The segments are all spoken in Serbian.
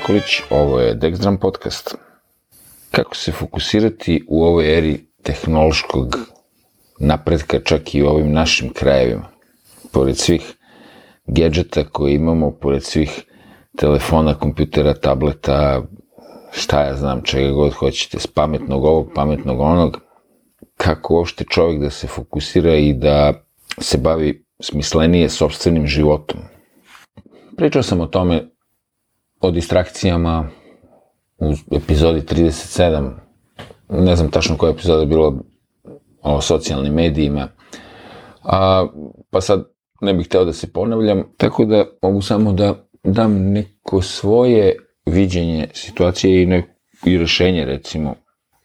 Nikolić, ovo je Dexdram podcast. Kako se fokusirati u ovoj eri tehnološkog napretka, čak i u ovim našim krajevima? Pored svih gadžeta koje imamo, pored svih telefona, kompjutera, tableta, šta ja znam, čega god hoćete, s pametnog ovog, pametnog onog, kako uopšte čovjek da se fokusira i da se bavi smislenije sopstvenim životom. Pričao sam o tome, o distrakcijama u epizodi 37, ne znam tačno koja epizoda je bilo o socijalnim medijima, pa sad ne bih hteo da se ponavljam, tako da mogu samo da dam neko svoje viđenje situacije i rešenje, recimo,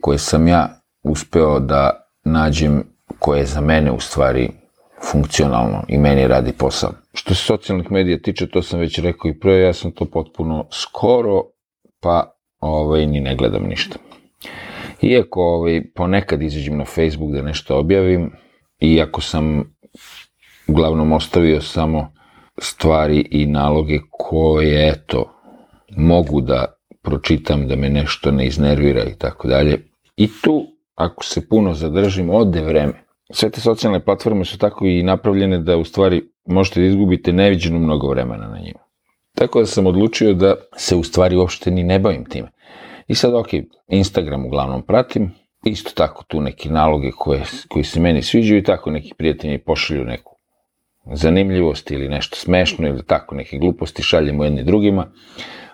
koje sam ja uspeo da nađem, koje je za mene u stvari funkcionalno i meni radi posao. Što se socijalnih medija tiče, to sam već rekao i pre, ja sam to potpuno skoro, pa ni ne gledam ništa. Iako ponekad izađem na Facebook da nešto objavim, iako sam uglavnom ostavio samo stvari i naloge koje, eto, mogu da pročitam, da me nešto ne iznervira i tako dalje. I tu, ako se puno zadržim, ode vreme. Sve te socijalne platforme su tako i napravljene da u stvari možete da izgubite neviđeno mnogo vremena na njima. Tako da sam odlučio da se u stvari uopšte ni ne bavim time. I sad, Instagram uglavnom pratim, isto tako tu neke naloge koji se meni sviđaju i tako neki prijatelji pošalju neku zanimljivost ili nešto smešno ili tako neke gluposti šaljemo jedni drugima,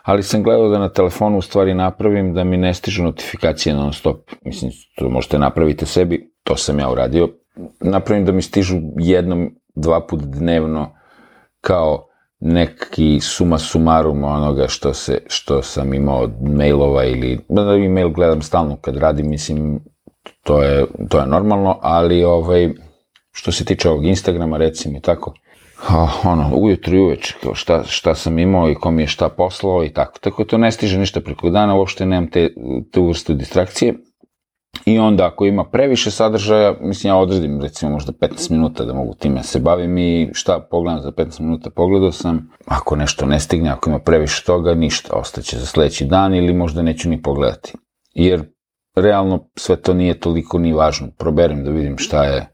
ali sam gledao da na telefonu u stvari napravim da mi ne stižu notifikacije non stop. Mislim, to možete napraviti sebi, to sam ja uradio. Napravim da mi stižu jednom, 2 puta dnevno kao neki suma sumarum onoga što sam imao od mailova ili, da e-mail gledam stalno kad radim, mislim, to je normalno, ali što se tiče ovog Instagrama, recimo i tako, ujutro i uveče, kao šta sam imao i ko mi je šta poslao i tako. Tako to ne stiže ništa preko dana, uopšte nemam te vrstu distrakcije. I onda ako ima previše sadržaja, mislim, ja odredim recimo možda 15 minuta da mogu time se bavim i šta pogledam za 15 minuta, pogledao sam. Ako nešto ne stigne, ako ima previše toga, ništa, ostaće za sledeći dan ili možda neću ni pogledati. Jer realno sve to nije toliko ni važno. Proberem da vidim šta je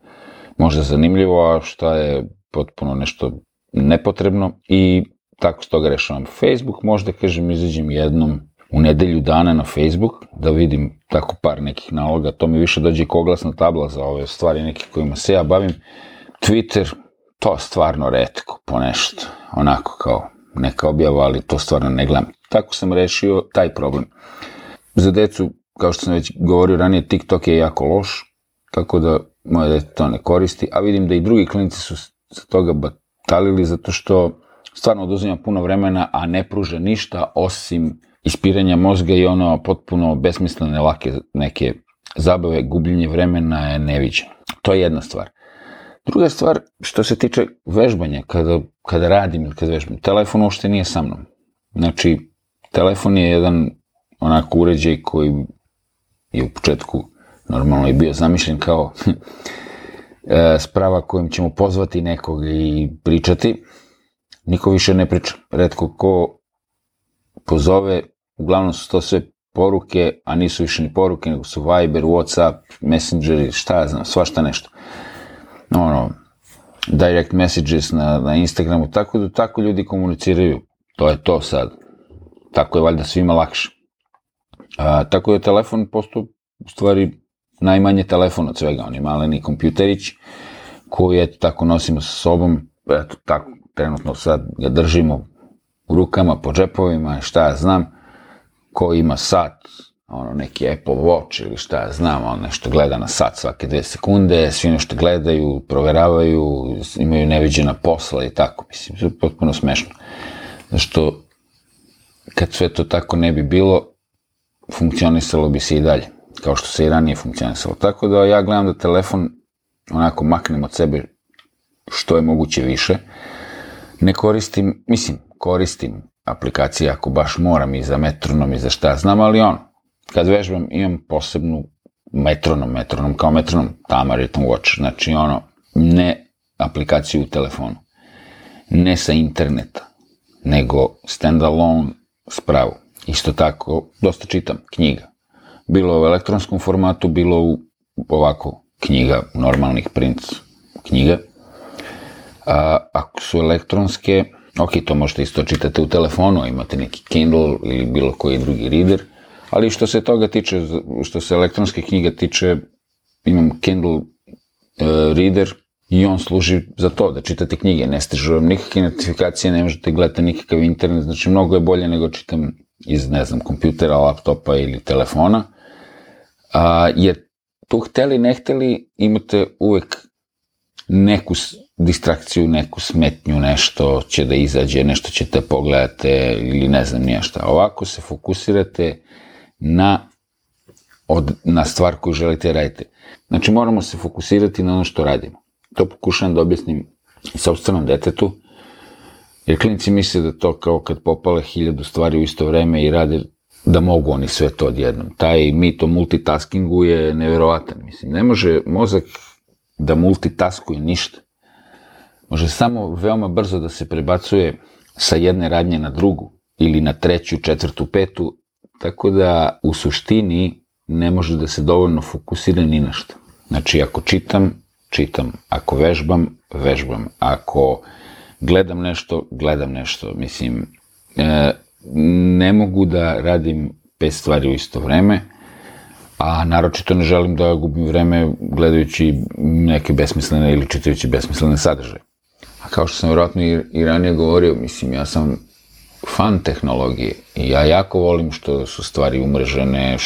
možda zanimljivo, a šta je potpuno nešto nepotrebno i tako s toga rešavam. Facebook, možda kažem, izađem jednom u nedelju dana na Facebook, da vidim tako par nekih naloga, to mi više dođe kao oglasna tabla za ove stvari neke kojima se ja bavim. Twitter, to stvarno retko po nešto, onako kao neka objava, ali to stvarno ne gledam. Tako sam rešio taj problem. Za decu, kao što sam već govorio ranije, TikTok je jako loš, tako da moje dete to ne koristi, a vidim da i drugi klinici su za toga batalili, zato što stvarno oduzima puno vremena, a ne pruža ništa osim ispiranja mozga i potpuno besmislene, lake neke zabave, gubljenje vremena je neviđeno. To je jedna stvar. Druga stvar, što se tiče vežbanja, kada radim ili kada vežbam, telefon uopšte nije sa mnom. Znači, telefon je jedan onako uređaj koji je u početku normalno i bio zamišljen kao sprava kojom ćemo pozvati nekog i pričati. Niko više ne priča. Retko ko pozove, uglavnom su to sve poruke, a nisu više ni poruke, nego su Viber, Whatsapp, Messenger, šta ja znam, svašta nešto. Direct messages na Instagramu, tako da tako ljudi komuniciraju. To je to sad. Tako je valjda svima lakše. Tako je telefon postao u stvari najmanje telefon od svega. On je maleni kompjuterić koji tako nosimo sa sobom. Eto, tako, trenutno sad ga držimo u rukama, po džepovima, šta ja znam. Ko ima sat, neki Apple Watch ili šta ja znam, nešto gleda na sat svake 2 sekunde, svi nešto gledaju, proveravaju, imaju neviđena posla i tako, mislim, to je potpuno smešno. Zašto, kad sve to tako ne bi bilo, funkcionisalo bi se i dalje, kao što se i ranije funkcionisalo. Tako da ja gledam da telefon onako maknem od sebe što je moguće više. Ne koristim, koristim aplikacije ako baš moram i za metronom i za šta znam, ali kad vežbam imam posebnu metronom kao metronom, Tama Rhythm Watch, znači ne aplikaciju u telefonu, ne sa interneta, nego standalone spravu. Isto tako, dosta čitam knjiga. Bilo u elektronskom formatu, bilo u ovako knjiga, normalnih print knjiga. Ako su elektronske, ok, to možete isto čitati u telefonu, imate neki Kindle ili bilo koji drugi reader, ali što se toga tiče, što se elektronske knjiga tiče, imam Kindle reader i on služi za to, da čitate knjige, ne stižu vam nikakve notifikacije, ne možete gledati nikakav internet, znači mnogo je bolje nego čitam iz, ne znam, kompjutera, laptopa ili telefona, jer tu hteli, ne hteli, imate uvek neku distrakciju, neku smetnju, nešto će da izađe, nešto ćete pogledate ili ne znam nije šta. Ovako se fokusirate na stvar koju želite raditi. Znači moramo se fokusirati na ono što radimo. To pokušavam da objasnim i sopstvenom detetu, jer klinici misle da to kao kad popale 1000 stvari u isto vreme i rade, da mogu oni sve to odjednom. Taj mit o multitaskingu je neverovatan. Mislim, ne može mozak da multitaskuje ništa. Može samo veoma brzo da se prebacuje sa jedne radnje na drugu ili na treću, četvrtu, petu, tako da u suštini ne može da se dovoljno fokusira ni na šta. Znači, ako čitam, ako vežbam, ako gledam nešto, mislim, ne mogu da radim 5 stvari u isto vreme, a naročito ne želim da gubim vreme gledajući neke besmislene ili čitajući besmislene sadržaje. A kao što sam vjerojatno i ranije govorio, mislim, ja sam fan tehnologije i ja jako volim što su stvari umrežene,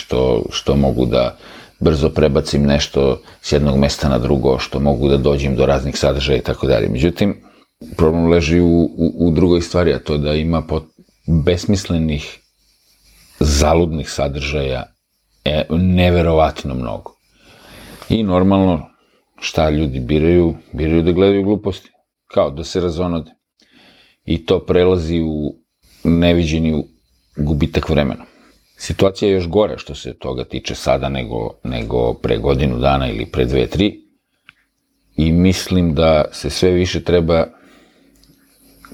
što mogu da brzo prebacim nešto s jednog mesta na drugo, što mogu da dođem do raznih sadržaja i tako dalje. Međutim, problem leži u drugoj stvari, a to da ima besmislenih, zaludnih sadržaja neverovatno mnogo. I normalno, šta ljudi biraju da gledaju gluposti, kao da se razonode. I to prelazi u neviđeni gubitak vremena. Situacija je još gora što se toga tiče sada nego pre godinu dana ili pre 2-3 i mislim da se sve više treba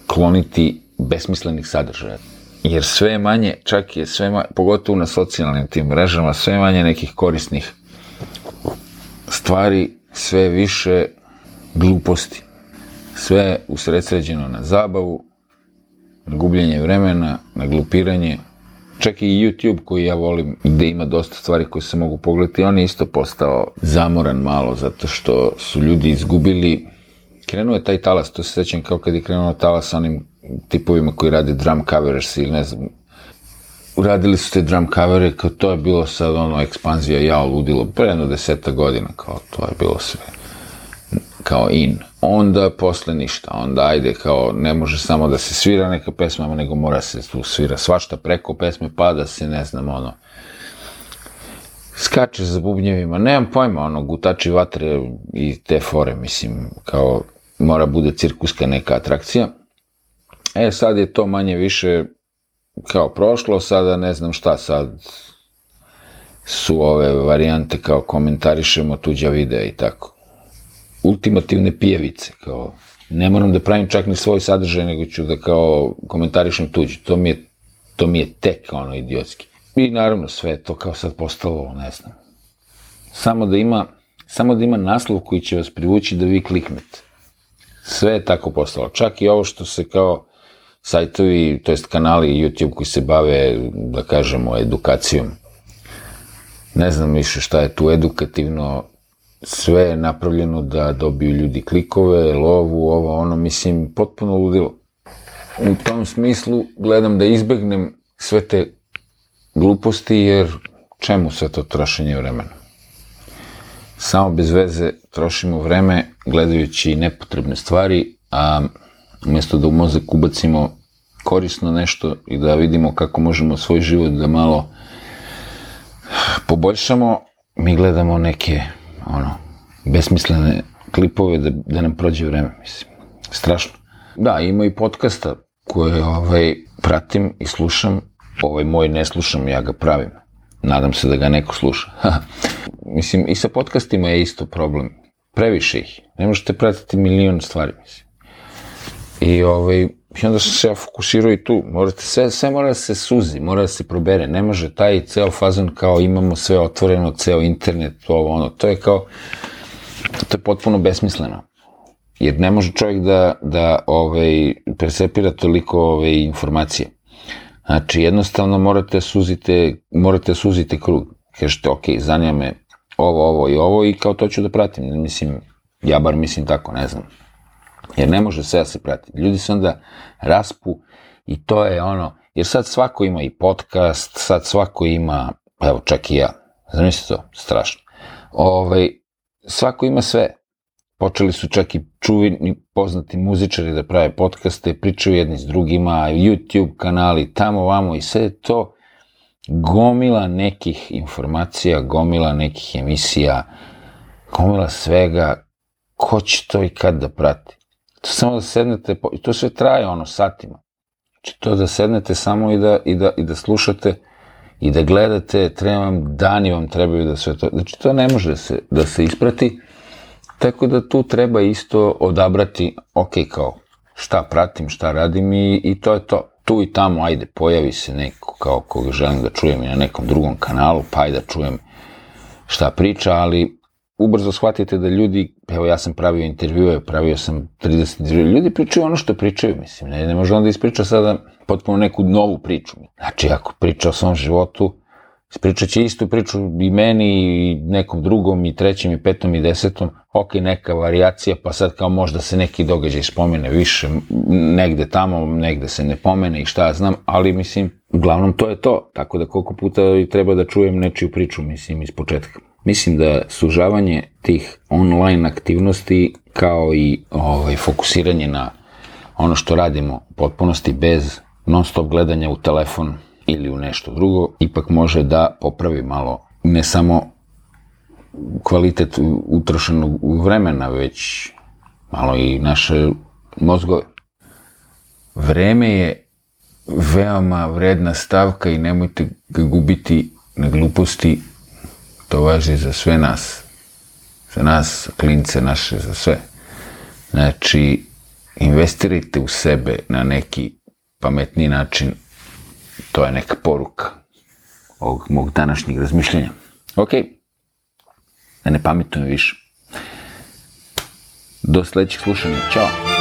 kloniti besmislenih sadržaja. Jer sve je manje, pogotovo na socijalnim tim mrežama, sve manje nekih korisnih stvari, sve više gluposti. Sve je usredsređeno na zabavu, na gubljenje vremena, na glupiranje. Čak i YouTube koji ja volim, gde ima dosta stvari koje se mogu pogledati, on je isto postao zamoran malo, zato što su ljudi izgubili. Krenuo je taj talas, to se sećam kao kad je krenuo talas sa onim tipovima koji rade drum covers ili ne znam. Uradili su te drum covere, kao to je bilo sad ekspanzija, ludilo, pre jedno 10 godina, kao to je bilo sve kao in. Onda posle ništa, onda ajde kao ne može samo da se svira neka pesma, nego mora se tu svira svašta preko pesme, pa da se ne znam skače za bubnjevima, nemam pojma, gutači vatre i te fore, mislim, kao mora bude cirkuska neka atrakcija. Sad je to manje više kao prošlo, sada ne znam šta, sad su ove varijante kao komentarišemo tuđa videa i tako. Ultimativne pijevice, kao ne moram da pravim čak ni svoj sadržaj, nego ću da kao komentarišem tuđi, to mi je tek idiotski. I naravno sve je to kao sad postalo, ne znam. Samo da ima naslov koji će vas privući da vi kliknete. Sve je tako postalo. Čak i ovo što se kao sajtovi, to jest kanali YouTube koji se bave, da kažemo, edukacijom. Ne znam više šta je tu edukativno, sve je napravljeno da dobiju ljudi klikove, lovu, mislim, potpuno ludilo. U tom smislu gledam da izbegnem sve te gluposti, jer čemu sve to trošenje vremena? Samo bez veze trošimo vreme gledajući nepotrebne stvari, a umjesto da u mozak ubacimo korisno nešto i da vidimo kako možemo svoj život da malo poboljšamo, mi gledamo neke besmislene klipove da nam prođe vreme, mislim. Strašno. Da, ima i podcasta koje pratim i slušam. Ovaj moj ne slušam, ja ga pravim. Nadam se da ga neko sluša. Mislim, i sa podcastima je isto problem. Previše ih. Ne možete pratiti milion stvari, mislim. I I onda sam se ja fokusirao i tu. Sve mora da se suzi, mora da se probere. Ne može taj ceo fazon kao imamo sve otvoreno, ceo internet, to je kao, to je potpuno besmisleno. Jer ne može čovjek da persepira toliko informacije. Znači, jednostavno morate suzite krug. Kažete, ok, zanima me ovo i ovo i kao to ću da pratim. Mislim, ja bar mislim tako, ne znam. Jer ne može sve da se prati. Ljudi se onda raspu i to je ono, jer sad svako ima i podcast, sad svako ima, evo čak i ja, zamislite to, strašno. Svako ima sve. Počeli su čak i čuveni poznati muzičari da prave podcaste, pričaju jedni s drugima, YouTube kanali, tamo, vamo i sve to gomila nekih informacija, gomila nekih emisija, gomila svega, ko će to i kad da prati? To samo da sednete, i to sve traje satima. Znači to da sednete samo i da slušate i da gledate, dani vam trebaju da sve to, znači to ne može da se isprati. Tako da tu treba isto odabrati, ok, kao šta pratim, šta radim i to je to. Tu i tamo, ajde, pojavi se neko kao koga želim da čujem i na nekom drugom kanalu, pa ajde da čujem šta priča, ali ubrzo shvatite da ljudi, evo ja sam pravio intervjue, pravio sam 30 intervjue, ljudi pričaju ono što pričaju, mislim, ne može onda ispriča sada potpuno neku novu priču. Znači, ako priča o svom životu, ispričat će istu priču i meni i nekom drugom i trećem i petom i desetom, ok, neka varijacija, pa sad kao možda se neki događaj spomene više, negde tamo, negde se ne pomene i šta ja znam, ali mislim, uglavnom to je to, tako da koliko puta treba da čujem nečiju priču, mislim, iz početka. Mislim da sužavanje tih online aktivnosti kao i fokusiranje na ono što radimo u potpunosti bez non stop gledanja u telefon ili u nešto drugo, ipak može da popravi malo ne samo kvalitet utrošenog vremena, već malo i naše mozgove. Vreme je veoma vredna stavka i nemojte ga gubiti na gluposti. To važi za sve nas. Za nas, klince naše, za sve. Znači, investirajte u sebe na neki pametni način. To je neka poruka ovog mog današnjeg razmišljanja. Ok, da ne pametujem više. Do sledećeg slušanja. Ćao!